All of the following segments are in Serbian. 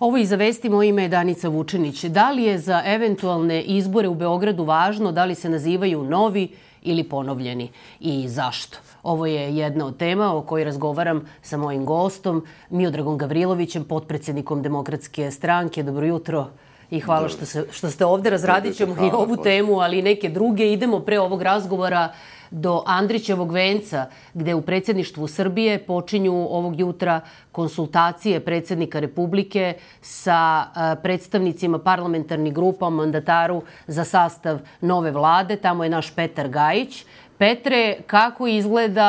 Ovo i za vesti, moje ime je Danica Vučinić. Da li je za eventualne izbore u Beogradu važno da li se nazivaju novi ili ponovljeni i zašto? Ovo je jedna od tema o kojoj razgovaram sa mojim gostom, Miodragom Gavrilovićem, potpredsjednikom Demokratske stranke. Dobro jutro i hvala što ste ovde. Razradit ćemo i ovu temu, ali i neke druge. Idemo pre ovog razgovora do Andrićevog venca, gde u predsjedništvu Srbije počinju ovog jutra konsultacije predsjednika Republike sa predstavnicima parlamentarnih grupa o mandataru za sastav nove vlade. Tamo je naš Petar Gajić. Petre, kako izgleda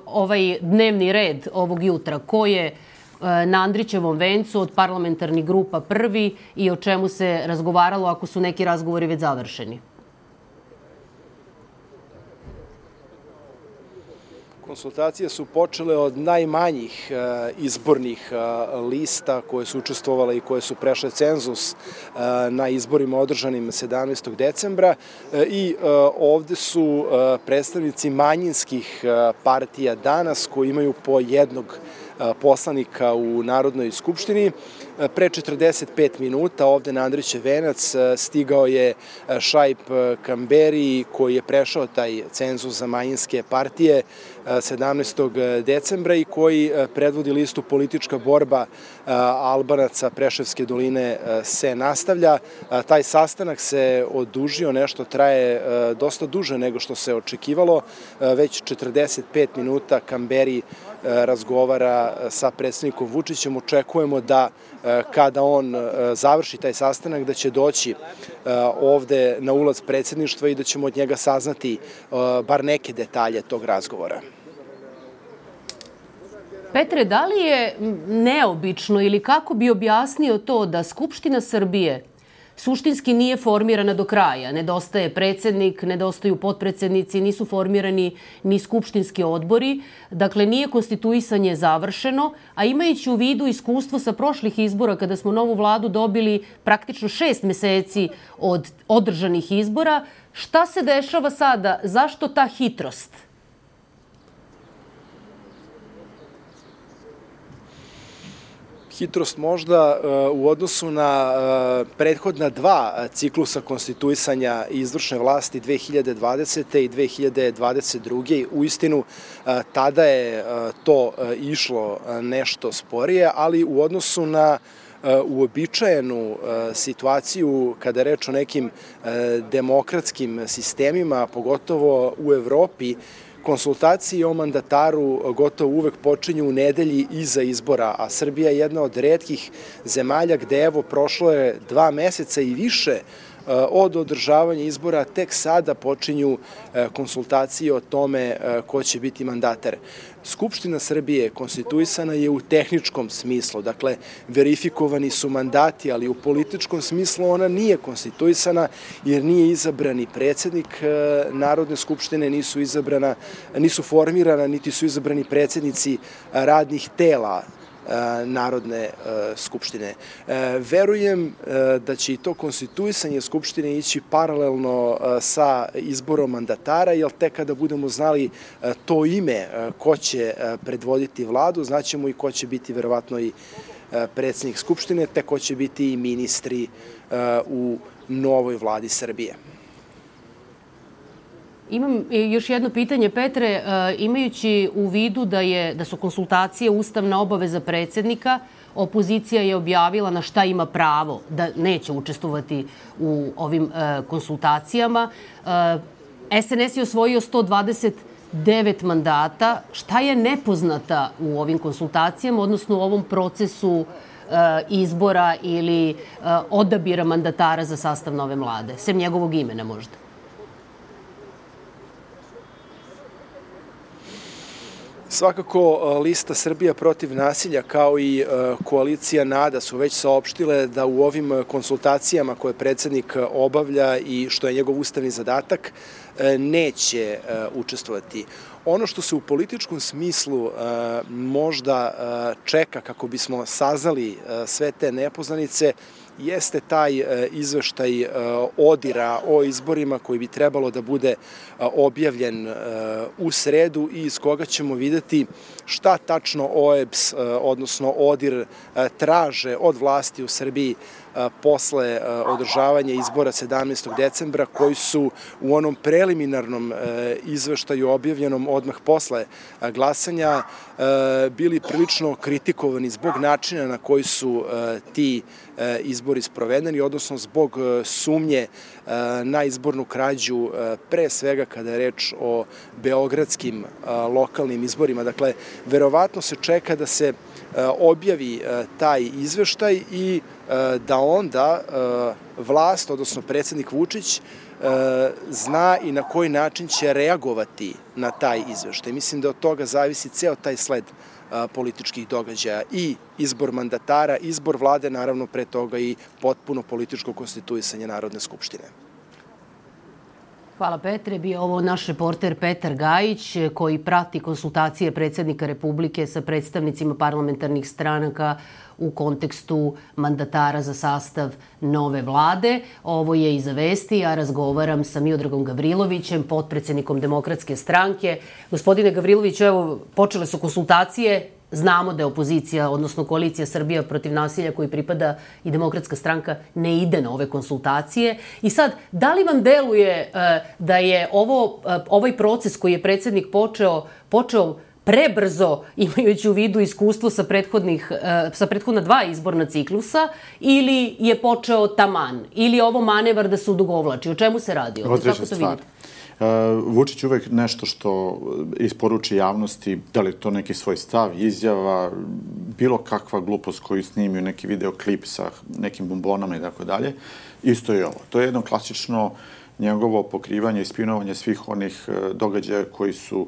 ovaj dnevni red ovog jutra? Ko je na Andrićevom vencu od parlamentarnih grupa prvi i o čemu se razgovaralo ako su neki razgovori već završeni? Konsultacije su počele od najmanjih izbornih lista koje su učestvovale i koje su prešle cenzus na izborima održanim 17. decembra i ovde su predstavnici manjinskih partija danas koji imaju po jednog poslanika u Narodnoj skupštini. Pre 45 minuta ovde na Andrićev venac stigao je Šaip Kamberi koji je prešao taj cenzus za manjinske partije 17. decembra i koji predvodi listu Politička borba Albanaca Preševske doline se nastavlja. Taj sastanak se odužio, nešto traje dosta duže nego što se očekivalo. Već 45 minuta Kamberi razgovara sa predsjednikom Vučićem. Očekujemo da kada on završi taj sastanak da će doći ovde na ulaz predsjedništva i da ćemo od njega saznati bar neke detalje tog razgovora. Petre, da li je neobično ili kako bi objasnio to da Skupština Srbije suštinski nije formirana do kraja? Nedostaje predsjednik, nedostaju potpredsjednici, nisu formirani ni skupštinski odbori. Dakle, nije konstituisanje završeno, a imajući u vidu iskustvo sa prošlih izbora kada smo novu vladu dobili praktično 6 meseci od održanih izbora, šta se dešava sada? Zašto ta hitrost? Hitrost možda u odnosu na prethodna dva ciklusa konstituisanja izvršne vlasti 2020. i 2022. Uistinu tada je to išlo nešto sporije, ali u odnosu na uobičajenu situaciju kada je reč o nekim demokratskim sistemima, pogotovo u Evropi, konsultacije o mandataru gotovo uvek počinju u nedelji iza izbora, a Srbija je jedna od retkih zemalja gde evo prošlo je 2 meseca i više od održavanja izbora, tek sada počinju konsultacije o tome ko će biti mandatar. Skupština Srbije konstituisana je u tehničkom smislu, dakle verifikovani su mandati, ali u političkom smislu ona nije konstituisana jer nije izabrani predsjednik Narodne skupštine, nisu formirana, niti su izabrani predsjednici radnih tela Narodne skupštine. Verujem da će i to konstituisanje Skupštine ići paralelno sa izborom mandatara, jer tek kada budemo znali to ime ko će predvoditi vladu, znaćemo i ko će biti verovatno i predsjednik Skupštine, te ko će biti i ministri u novoj vladi Srbije. Imam još jedno pitanje, Petre. Imajući u vidu da su konsultacije ustavna obaveza predsjednika, opozicija je objavila na šta ima pravo, da neće učestvovati u ovim konsultacijama. SNS je osvojio 129 mandata. Šta je nepoznata u ovim konsultacijama, odnosno u ovom procesu izbora ili odabira mandatara za sastav nove vlade, sem njegovog imena možda? Svakako, lista Srbija protiv nasilja kao i koalicija NADA su već saopštile da u ovim konsultacijama koje predsjednik obavlja i što je njegov ustavni zadatak neće učestvovati. Ono što se u političkom smislu možda čeka kako bismo saznali sve te nepoznanice jeste taj izveštaj ODIR-a o izborima koji bi trebalo da bude objavljen u sredu i iz koga ćemo videti šta tačno OEBS, odnosno ODIR, traže od vlasti u Srbiji posle održavanja izbora 17. decembra, koji su u onom preliminarnom izveštaju objavljenom odmah posle glasanja bili prilično kritikovani zbog načina na koji su ti izbori sprovedeni, odnosno zbog sumnje na izbornu krađu, pre svega kada je reč o beogradskim lokalnim izborima. Dakle, verovatno se čeka da se objavi taj izveštaj i da onda vlast, odnosno predsjednik Vučić, zna i na koji način će reagovati na taj izveštaj. Mislim da od toga zavisi ceo taj sled političkih događaja i izbor mandatara, izbor vlade, naravno pre toga i potpuno političko konstituisanje Narodne skupštine. Hvala Petre. Bio ovo naš reporter Petar Gajić koji prati konsultacije predsjednika Republike sa predstavnicima parlamentarnih stranaka u kontekstu mandatara za sastav nove vlade. Ovo je Iza vesti. Ja razgovaram sa Miodragom Gavrilovićem, potpredsjednikom Demokratske stranke. Gospodine Gavriloviću, evo, počele su konsultacije. Znamo da je opozicija, odnosno koalicija Srbija protiv nasilja koji pripada i Demokratska stranka ne ide na ove konsultacije. I sad, da li vam deluje da je ovaj proces koji je predsjednik počeo prebrzo, imajući u vidu iskustvo sa prethodna 2 izborna ciklusa, ili je počeo taman, ili je ovo manevar da se odugovlači? O čemu se radi? Određena stvar. Vučić uvek nešto što isporuči javnosti, da li je to neki svoj stav, izjava, bilo kakva glupost koju snimio, neki videoklip sa nekim bombonama i tako dalje, isto je ovo. To je jedno klasično njegovo pokrivanje i spinovanje svih onih događaja koji su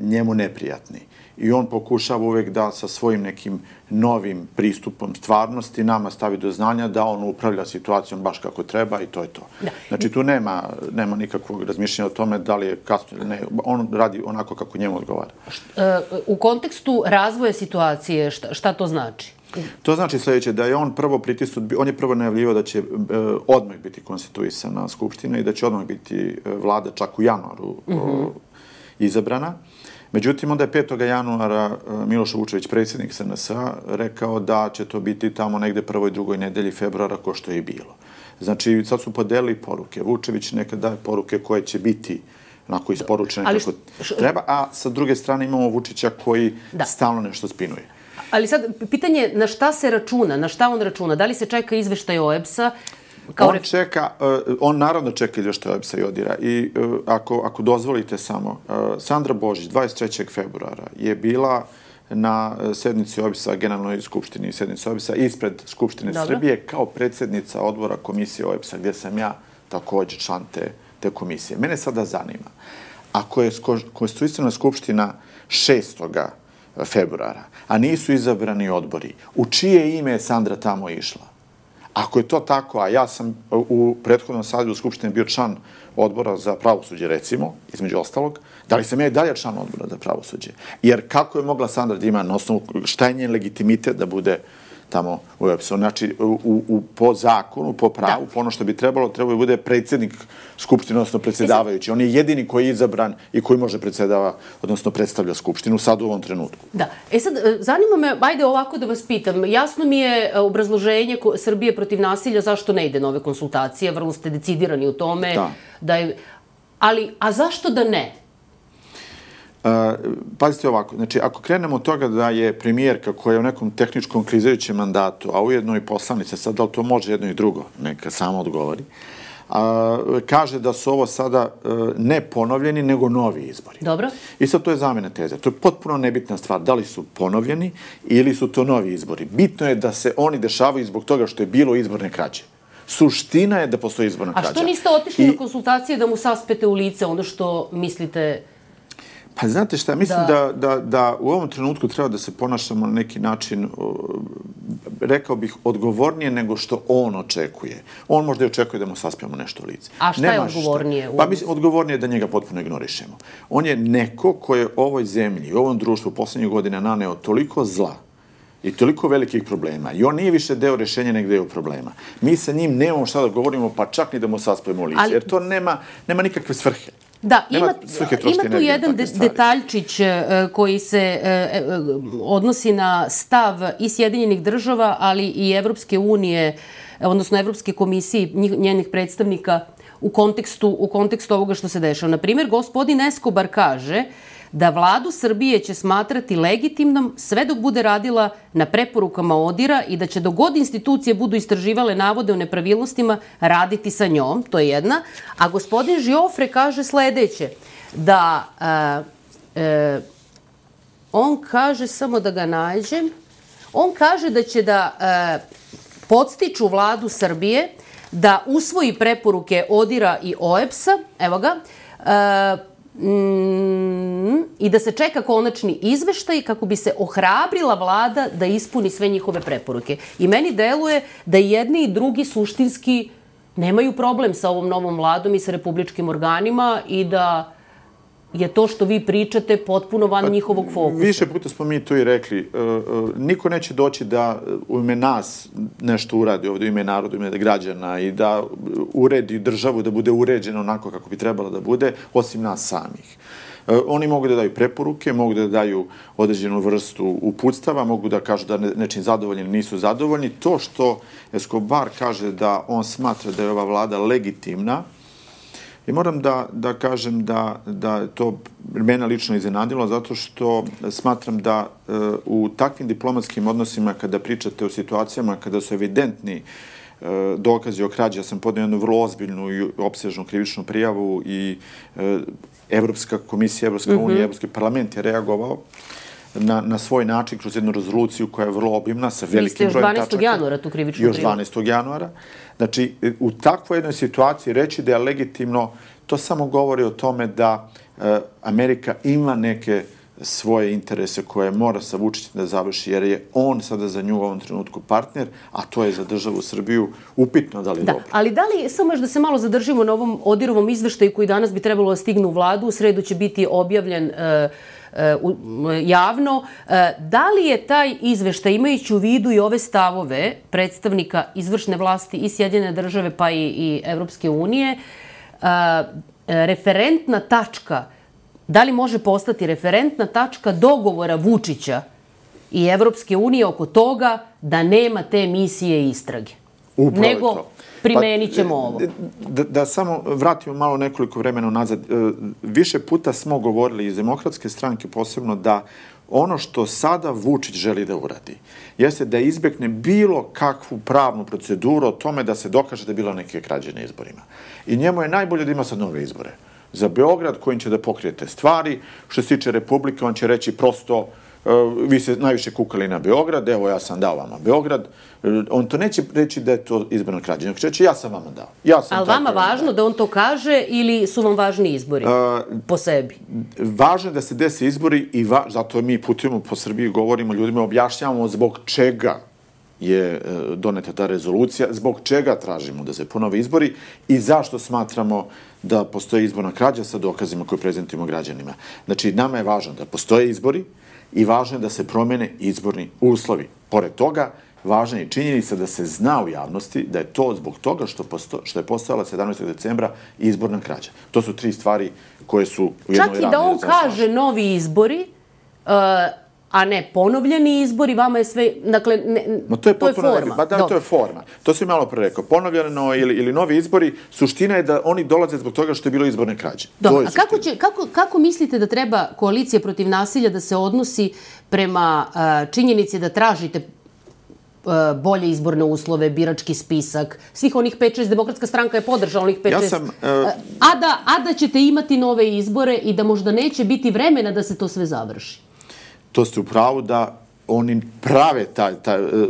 njemu neprijatni. I on pokušava uvek da sa svojim nekim novim pristupom stvarnosti nama stavi do znanja da on upravlja situacijom baš kako treba i to je to. Znači tu nema nikakvog razmišljanja o tome da li je kasno ili ne. On radi onako kako njemu odgovara. U kontekstu razvoja situacije, šta to znači? To znači sljedeće, da je on prvo pritisnut, on je prvo najavljivao da će odmah biti konstituisana Skupština i da će odmah biti vlada čak u januaru izabrana. Međutim, onda je 5. januara Miloš Vučević, predsjednik SNS-a, rekao da će to biti tamo negde 1. i 2. nedelji februara, ko što je i bilo. Znači, sad su podelili poruke. Vučević neka daje poruke koje će biti onako isporučene kako treba, a sa druge strane imamo Vučića koji stalno nešto spinuje. Ali sad, pitanje na šta se računa, na šta on računa? Da li se čeka izveštaj OEBS-a? On naravno čeka izveštaj OEBS-a i ODIR-a. I ako dozvolite samo, Sandra Božić 23. februara je bila na sednici OEBS-a, generalnoj skupštini sednici OEBS-a, ispred Skupštine Srbije kao predsjednica odbora komisije OEBS-a, gdje sam ja također član te komisije. Mene sada zanima, ako je konstituisana Skupština 6. februara, a nisu izabrani odbori, u čije ime je Sandra tamo išla? Ako je to tako, a ja sam u prethodnom sazivu Skupštine bio član odbora za pravosuđe, recimo, između ostalog, da li sam ja i dalje član odbora za pravosuđe? Jer kako je mogla Sandra da ima na osnovu šta je njen legitimitet da bude tamo u OEBS-u? Znači, po zakonu, po pravu, po ono što bi trebalo da bude predsjednik Skupštine, odnosno predsjedavajući. On je jedini koji je izabran i koji može predsjedava, odnosno predstavlja Skupštinu sad u ovom trenutku. Da. Sad, zanima me, ajde ovako da vas pitam, jasno mi je obrazloženje Srbije protiv nasilja zašto ne ide na ove konsultacije, vrlo ste decidirani u tome. A zašto da ne? Pazite ovako, znači ako krenemo od toga da je premijerka koja je u nekom tehničkom krizajućem mandatu, a ujedno i poslanica, sad da li to može jedno i drugo, neka samo odgovori, kaže da su ovo sada ne ponovljeni, nego novi izbori. Dobro. I sad to je zamjena teze. To je potpuno nebitna stvar. Da li su ponovljeni ili su to novi izbori. Bitno je da se oni dešavaju zbog toga što je bilo izborne krađe. Suština je da postoji izborna krađa. A što niste otišli na konsultacije da mu saspete u lice ono što mislite? Pa znate šta, mislim da u ovom trenutku treba da se ponašamo na neki način, rekao bih, odgovornije nego što on očekuje. On možda i očekuje da mu saspijamo nešto u lice. A šta je odgovornije? Pa mislim, odgovornije je da njega potpuno ignorišemo. On je neko ko je ovoj zemlji, ovom društvu posljednjih godina naneo toliko zla i toliko velikih problema i on nije više deo rešenja nego deo problema. Mi sa njim nemamo šta da govorimo, pa čak ni da mu saspojimo lice, jer to nema nikakve svrhe. Da, ima tu jedan detaljčić koji se odnosi na stav i Sjedinjenih država, ali i Evropske unije, odnosno Evropske komisije, njenih predstavnika u kontekstu ovoga što se dešava. Na primjer, gospodin Escobar kaže da vladu Srbije će smatrati legitimnom sve dok bude radila na preporukama ODIHR-a i da će dok god institucije budu istraživale navode o nepravilnostima raditi sa njom, to je jedna. A gospodin Žiofre kaže sledeće, da on kaže, samo da ga nađem, on kaže da će da podstiču vladu Srbije da usvoji preporuke ODIHR-a i OEBS-a, evo ga, i da se čeka konačni izveštaj kako bi se ohrabrila vlada da ispuni sve njihove preporuke. I meni deluje da jedni i drugi suštinski nemaju problem sa ovom novom vladom i sa republičkim organima i da je to što vi pričate potpuno van njihovog fokusa. Više puta smo mi to i rekli. Niko neće doći da u ime nas nešto uradi ovdje, u ime naroda, u ime građana i da uredi državu, da bude uređena onako kako bi trebalo da bude, osim nas samih. Oni mogu da daju preporuke, mogu da daju određenu vrstu uputstava, mogu da kažu da nečim zadovoljni ili nisu zadovoljni. To što Escobar kaže da on smatra da je ova vlada legitimna, i moram da kažem da to mene lično iznenadilo, zato što smatram da u takvim diplomatskim odnosima, kada pričate o situacijama, kada su evidentni dokazi o krađi, ja sam podneo jednu vrlo ozbiljnu i opsežnu krivičnu prijavu i Evropska komisija, Evropska unija, Evropski parlament je reagovao na svoj način kroz jednu rezoluciju koja je vrlo obimna, sa velikim brojem tačaka. Još 12. januara tu krivičnu prijavu. Još 12. januara. Znači, u takvoj jednoj situaciji reći da je legitimno, to samo govori o tome da Amerika ima neke svoje interese koje mora sa Vučićem da završi, jer je on sada za nju u ovom trenutku partner, a to je za državu Srbiju upitno da li je dobro. Ali da li, samo još da se malo zadržimo na ovom ODIHR-ovom izveštaju koji danas bi trebalo da stigne u vladu, u sredu će biti objavljen javno. Da li je taj izveštaj, imajući u vidu i ove stavove predstavnika izvršne vlasti i Sjedinjene države pa i Evropske unije, referentna tačka, da li može postati referentna tačka dogovora Vučića i Evropske unije oko toga da nema te misije istrage? Nego primenit ćemo ovo. Da samo vratimo malo nekoliko vremena nazad. Više puta smo govorili iz Demokratske stranke posebno da ono što sada Vučić želi da uradi jeste da izbjegne bilo kakvu pravnu proceduru o tome da se dokaže da je bilo neke krađe na izborima. I njemu je najbolje da ima sad nove izbore. Za Beograd, kojim će da pokrijete stvari. Što se tiče Republike, on će reći prosto vi se najviše kukali na Beograd, evo ja sam dao vama Beograd. On to neće reći da je to izborna krađa. Nego će reći ja sam vama dao. Ali vama važno da on to kaže ili su vam važni izbori po sebi? Važno je da se desi izbori i zato mi putujemo po Srbiji, govorimo ljudima, objašnjavamo zbog čega je doneta ta rezolucija, zbog čega tražimo da se ponove izbori i zašto smatramo da postoje izborna krađa sa dokazima koje prezentujemo građanima. Znači, nama je važno da postoje izbori i važno je da se promene izborni uslovi. Pored toga, važna je činjenica da se zna u javnosti da je to zbog toga što je postojala 17. decembra izborna krađa. To su 3 stvari koje su u jednoj ravni. Čak i da on kaže novi izbori, a ne ponovljeni izbori, vama je sve, dakle, to je forma. Da, to je forma. To sam malo pre rekao. Ponovljeno ili novi izbori, suština je da oni dolaze zbog toga što je bilo izborne krađe. Dobro, a kako mislite da treba koalicija protiv nasilja da se odnosi prema činjenici da tražite bolje izborne uslove, birački spisak, svih onih 5-6, Demokratska stranka je podržala onih 5-6, a da ćete imati nove izbore i da možda neće biti vremena da se to sve završi? To ste u pravu da oni prave,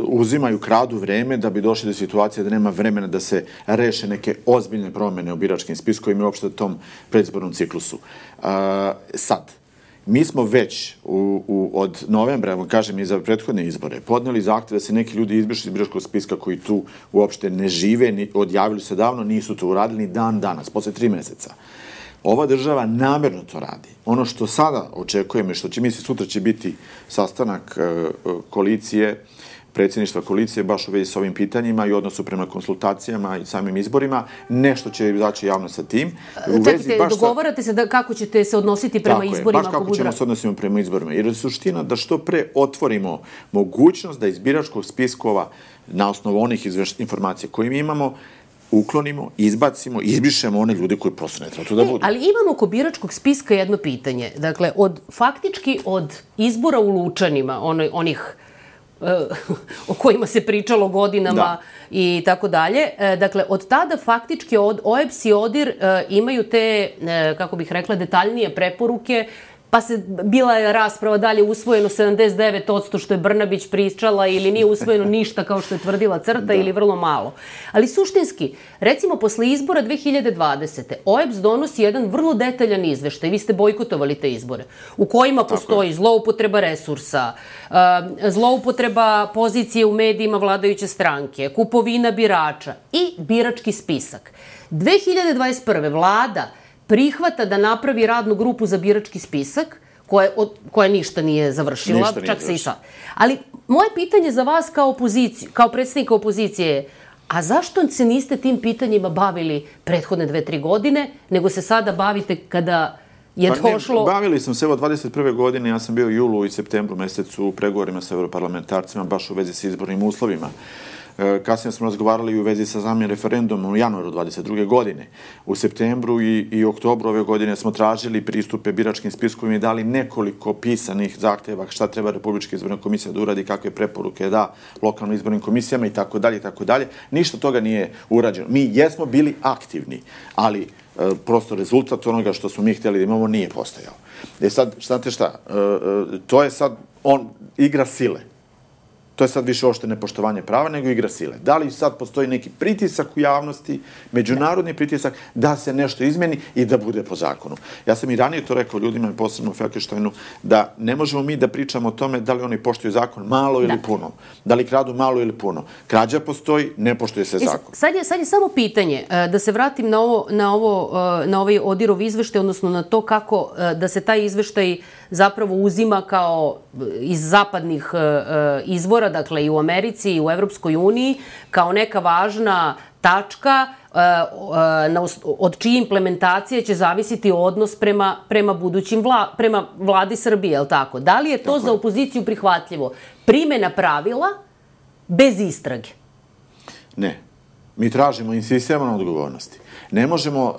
uzimaju, kradu vreme da bi došli do situacije da nema vremena da se reše neke ozbiljne promjene u biračkim spiskovima i uopšte tom predizbornom ciklusu. Sad, mi smo već od novembra, evo kažem i za prethodne izbore, podneli zahtev da se neki ljudi izbrišu iz biračkog spiska koji tu uopšte ne žive, odjavili se davno, nisu to uradili ni dan danas, posle 3 meseca. Ova država namerno to radi. Ono što sada očekujemo i što će sutra će biti sastanak koalicije, predsjedništva koalicije baš u vezi s ovim pitanjima i odnosu prema konsultacijama i samim izborima. Nešto će izaći javno sa tim. Čekajte, dogovarate se kako ćete se odnositi prema izborima? Baš kako ćemo se odnositi prema izborima. Jer je suština da što pre otvorimo mogućnost da iz biračkog spiskova na osnovu onih informacija koje mi imamo uklonimo, izbacimo, izbrišemo one ljude koji prosto ne treba tu da budu. Ali imamo oko biračkog spiska jedno pitanje. Dakle, faktički od izbora u Lučanima, onih o kojima se pričalo godinama i tako dalje. Dakle, od tada faktički OEBS i ODIR imaju te, kako bih rekla, detaljnije preporuke, pa bila je rasprava da li je usvojeno 79% što je Brnabić pričala ili nije usvojeno ništa kao što je tvrdila CRTA ili vrlo malo. Ali suštinski, recimo posle izbora 2020. OEBS donosi jedan vrlo detaljan izveštaj, vi ste bojkotovali te izbore, u kojima postoji zloupotreba resursa, zloupotreba pozicije u medijima vladajuće stranke, kupovina birača i birački spisak. 2021. vlada prihvata da napravi radnu grupu za birački spisak, koja ništa nije završila, čak se i sad. Ali moje pitanje za vas kao predsjednika opozicije je, a zašto se niste tim pitanjima bavili prethodne 2-3 godine, nego se sada bavite kada je došlo... Bavili sam se, evo, 21. godine, ja sam bio u julu i septembru mesecu u pregovorima sa europarlamentarcima, baš u vezi sa izbornim uslovima. Kasnije smo razgovarali u vezi sa samim referendumom u januaru 22. godine. U septembru i oktobru ove godine smo tražili pristupe biračkim spiskovima i dali nekoliko pisanih zahteva šta treba Republička izborna komisija da uradi, kakve preporuke da lokalnim izbornim komisijama i tako dalje i tako dalje. Ništa toga nije urađeno. Mi jesmo bili aktivni, ali prosto rezultat onoga što smo mi htjeli da imamo nije postojao. Sad, znate šta, to je sad igra sile. To je sad više ošte nepoštovanje prava nego igra sile. Da li sad postoji neki pritisak u javnosti, međunarodni pritisak, da se nešto izmeni i da bude po zakonu? Ja sam i ranije to rekao ljudima, posebno u Felkensteinu, da ne možemo mi da pričamo o tome da li oni poštuju zakon malo ili puno. Da li kradu malo ili puno. Krađa postoji, ne poštuje se zakon. Sad je samo pitanje, da se vratim na ovaj ODIR-ov izveštaj, odnosno na to kako da se taj izveštaj zapravo uzima kao iz zapadnih izvora, dakle i u Americi i u Evropskoj uniji, kao neka važna tačka od čije implementacije će zavisiti odnos prema vladi Srbije, je li tako? Da li je to za opoziciju prihvatljivo? Primjena pravila bez istrage? Ne. Mi tražimo, insistiramo na odgovornosti. Ne možemo,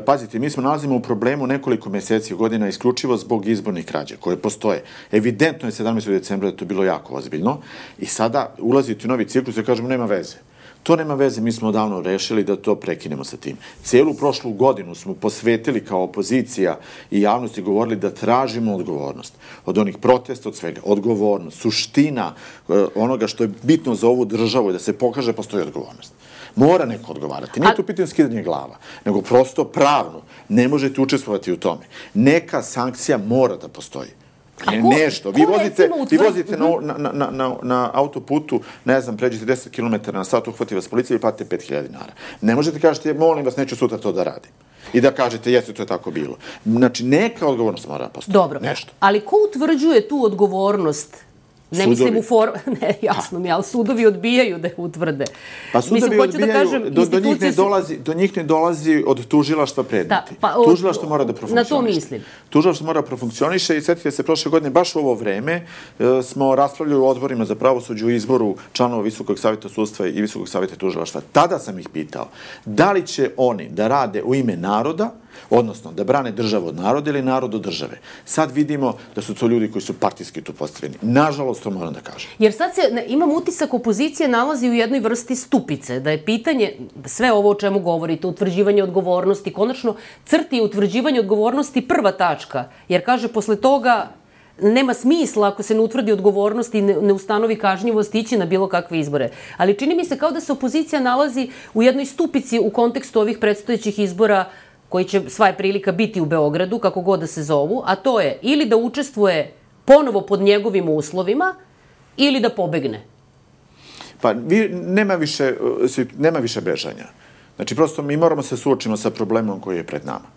pazite, mi smo nalazimo u problemu nekoliko meseci godina isključivo zbog izbornih krađa koje postoje. Evidentno je 17. decembra da je to bilo jako ozbiljno i sada ulaziti u novi ciklus i kažemo nema veze. To nema veze, mi smo odavno rešili da to prekinemo sa tim. Cijelu prošlu godinu smo posvetili kao opozicija i javnosti govorili da tražimo odgovornost. Od onih protesta, od svega. Odgovornost, suština onoga što je bitno za ovu državu je da se pokaže postoji odgovornost. Mora neko odgovarati. Nije to pitanje skidanje glava, nego prosto pravno. Ne možete učestvovati u tome. Neka sankcija mora da postoji. Nešto. Vi vozite na autoputu, ne znam, pređete 10 km na sat, uhvati vas policija i platite 5.000 dinara. Ne možete kažete, molim vas, neću sutra to da radim. I da kažete, jeste, to je tako bilo. Znači, neka odgovornost mora da postoji. Dobro, ali ko utvrđuje tu odgovornost? Ne mislim ne, jasno mi, ali sudovi odbijaju da je utvrde. Pa sudovi odbijaju, do njih ne dolazi od tužilaštva predmeti. Tužilaštvo mora da profunkcioniše. Na to mislim. Tužilaštvo mora da profunkcioniše i sjetite se, prošle godine, baš u ovo vreme, smo raspravljali u odborima za pravosuđe u izboru članova Visokog savjeta sudstva i Visokog savjeta tužilaštva. Tada sam ih pitao, da li će oni da rade u ime naroda, odnosno da brane državu od naroda ili narod od države. Sad vidimo da su to ljudi koji su partijski tu postavljeni. Nažalost, to moram da kažem. Jer sad imam utisak opozicije nalazi u jednoj vrsti stupice, da je pitanje, sve ovo o čemu govorite, utvrđivanje odgovornosti, konačno CRTA je utvrđivanje odgovornosti prva tačka, jer kaže posle toga nema smisla ako se ne utvrdi odgovornost i ne ustanovi kažnjivost ići na bilo kakve izbore. Ali čini mi se kao da se opozicija nalazi u jednoj stupici u kontekstu ovih predstojećih izbora koji će sva je prilika biti u Beogradu, kako god da se zovu, a to je ili da učestvuje ponovo pod njegovim uslovima ili da pobegne. Pa nema više bežanja. Znači, prosto mi moramo se suočiti sa problemom koji je pred nama.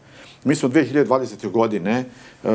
Mi smo 2020. godine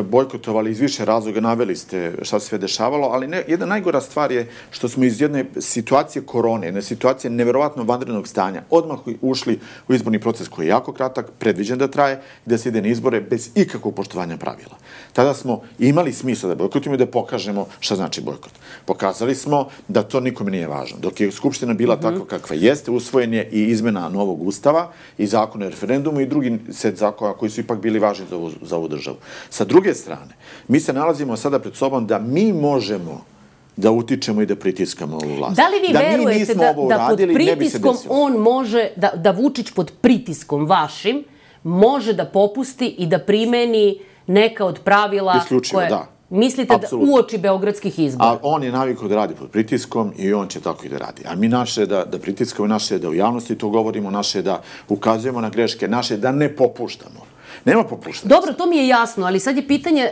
bojkotovali iz više razloga, naveli ste šta se sve dešavalo, ali jedna najgora stvar je što smo iz jedne situacije korone, jedne situacije neverovatno vanrednog stanja, odmah ušli u izborni proces koji je jako kratak, predviđen da traje, da se ide na izbore bez ikakvog poštovanja pravila. Tada smo imali smisla da bojkotujemo i da pokažemo šta znači bojkot. Pokazali smo da to nikome nije važno. Dok je Skupština bila takva kakva jeste, usvojen je i izmena novog ustava i zakona o referendumu i drugi set zakona koji su ipak bili važni za ovu državu. Sa druge strane, mi se nalazimo sada pred sobom da mi možemo da utičemo i da pritiskamo ovu vlast. Da li vi verujete da pod pritiskom on može, da Vučić pod pritiskom vašim može da popusti i da primeni neka od pravila isključivo, koje... Da. Mislite da uoči beogradskih izbora? A on je navikao da radi pod pritiskom i on će tako i da radi. A mi naše je da pritiskamo, naše je da u javnosti to govorimo, naše je da ukazujemo na greške, naše je da ne popuštamo. Nema popuštanja. Dobro, to mi je jasno, ali sad je pitanje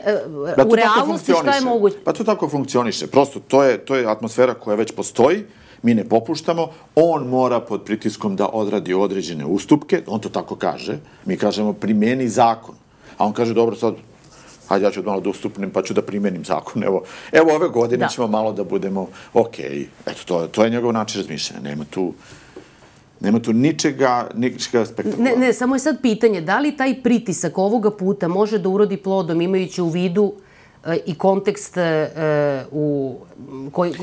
u realnosti šta je moguće. Pa to tako funkcioniše. Prosto, to je atmosfera koja već postoji, mi ne popuštamo, on mora pod pritiskom da odradi određene ustupke, on to tako kaže, mi kažemo primeni zakon. A on kaže, dobro, sad, hajde, ja ću malo da ustupnem, pa ću da primenim zakon. Evo ove godine ćemo malo da budemo okej. Eto, to je njegov način razmišljanja. Nema tu ničega spektakularnog. Ne, samo je sad pitanje, da li taj pritisak ovoga puta može da urodi plodom, imajući u vidu i kontekst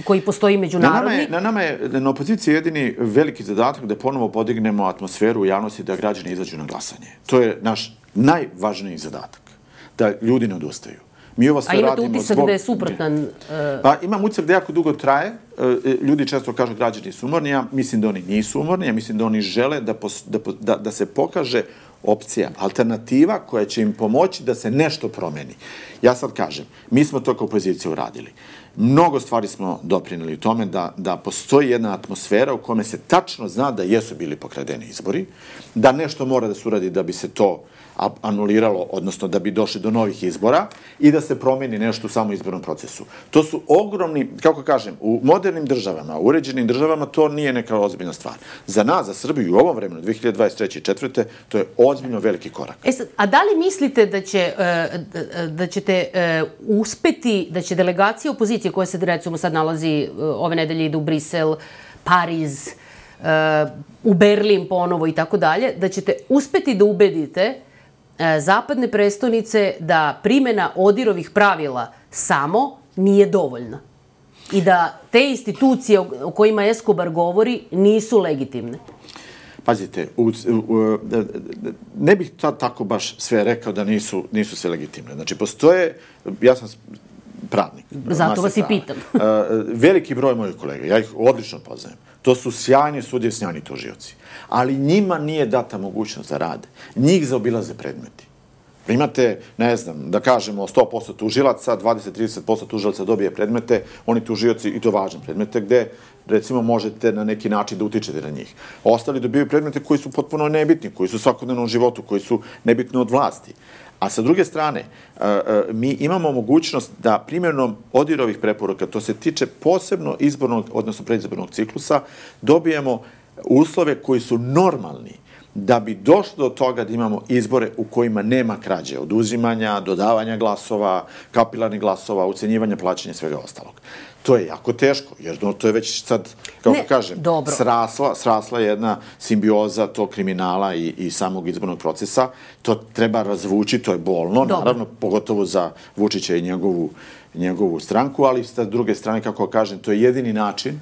koji postoji međunarodni? Na nama je na opoziciji jedini veliki zadatak da ponovo podignemo atmosferu u javnosti da građani izađu na glasanje. To je naš najvažniji zadatak. Da ljudi ne odustaju. A imate utisak da je suprotan? Pa imam utisak da jako dugo traje. Ljudi često kažu građani su umorni. Ja mislim da oni nisu umorni. Ja mislim da oni žele da se pokaže opcija, alternativa koja će im pomoći da se nešto promeni. Ja sad kažem, mi smo to kao opozicija uradili. Mnogo stvari smo doprineli u tome da postoji jedna atmosfera u kome se tačno zna da jesu bili pokradeni izbori, da nešto mora da se uradi da bi se to anuliralo, odnosno da bi došli do novih izbora i da se promeni nešto u samom izbornom procesu. To su ogromni, kako kažem, u modernim državama, u uređenim državama, to nije neka ozbiljna stvar. Za nas, za Srbiju, u ovom vremenu, 2023. i 2024. to je ozbiljno veliki korak. A da li mislite da ćete uspeti, da će delegacija opozicije koja se, recimo, sad nalazi ove nedelje, ide u Brisel, Pariz, u Berlin ponovo i tako dalje, da ćete uspeti da ubedite zapadne prestonice da primena ODIHR-ovih pravila samo nije dovoljna i da te institucije o kojima Escobar govori nisu legitimne? Pazite, ne bih tako baš sve rekao da nisu sve legitimne. Znači, postoje, ja sam pravnik. Zato vas i pitam. Veliki broj mojih kolega, ja ih odlično poznajem. To su sjajni sudije, sjajni tužioci. Ali njima nije data mogućnost da rade. Njih zaobilaze predmeti. Imate, ne znam, da kažemo 100% tužilaca, 20-30% tužilaca dobije predmete, oni tužioci, i to važne predmete, gde, recimo, možete na neki način da utičete na njih. Ostali dobijaju predmete koji su potpuno nebitni, koji su u svakodnevnom životu, koji su nebitni od vlasti. A sa druge strane, mi imamo mogućnost da primjenom ODIHR-ovih preporuka, to se tiče posebno izbornog, odnosno predizbornog ciklusa, dobijemo uslove koji su normalni da bi došlo do toga da imamo izbore u kojima nema krađe, oduzimanja, dodavanja glasova, kapilarnih glasova, ucenjivanja, plaćanja i svega ostalog. To je jako teško, jer to je već sad, kako kažem, srasla jedna simbioza tog kriminala i samog izbornog procesa. To treba razvući, to je bolno, naravno, pogotovo za Vučića i njegovu stranku, ali sa druge strane, kako kažem, to je jedini način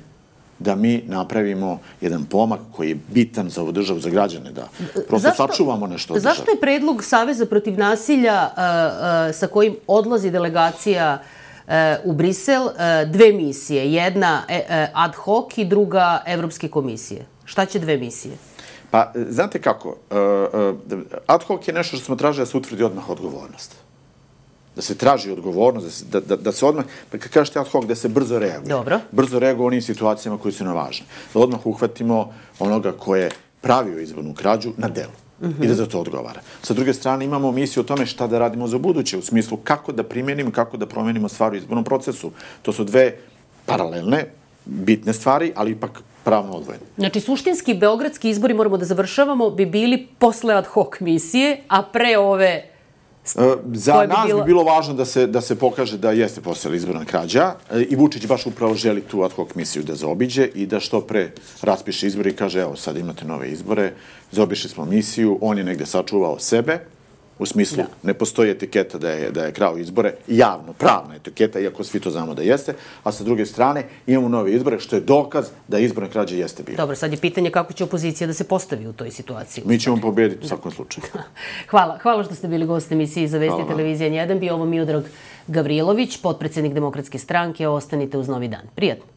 da mi napravimo jedan pomak koji je bitan za ovu državu, za građane, da prosto sačuvamo nešto od države. Zašto je predlog Saveza protiv nasilja sa kojim odlazi delegacija u Brisel dve misije? Jedna ad hoc i druga Evropske komisije. Šta će dve misije? Pa, znate kako, ad hoc je nešto što smo tražili da se utvrdi odmah odgovornost. Da se traži odgovornost, da se odmah, pa kad kažete ad hoc, da se brzo reaguje. Dobro. Brzo reaguje u onim situacijama koji su nam važne. Da odmah uhvatimo onoga ko je pravio izbornu krađu na delu i da za to odgovara. Sa druge strane, imamo misiju o tome šta da radimo za buduće, u smislu kako da primjenimo, kako da promenimo stvari u izbornom procesu. To su dve paralelne, bitne stvari, ali ipak pravno odvojene. Znači, suštinski beogradski izbori, moramo da završavamo, bi bili posle ad hoc misije, a pre ove... Za nas bi bilo važno da se pokaže da jeste postojala izborna krađa i Vučić baš upravo želi tu ad hoc misiju da zaobiđe i da što pre raspiše izbore i kaže evo sad imate nove izbore, zaobišli smo misiju, on je negde sačuvao sebe, u smislu ne postoji etiketa da je krao izbore, javno, pravna etiketa, iako svi to znamo da jeste, a sa druge strane imamo nove izbore, što je dokaz da izborna krađa jeste bilo. Dobro, sad je pitanje kako će opozicija da se postavi u toj situaciji. Mi ćemo pobediti u svakom slučaju. Hvala što ste bili gost emisiji za Vesti televizije N1. Bio ovo Miodrag Gavrilović, potpredsednik Demokratske stranke. Ostanite uz Novi dan. Prijatno.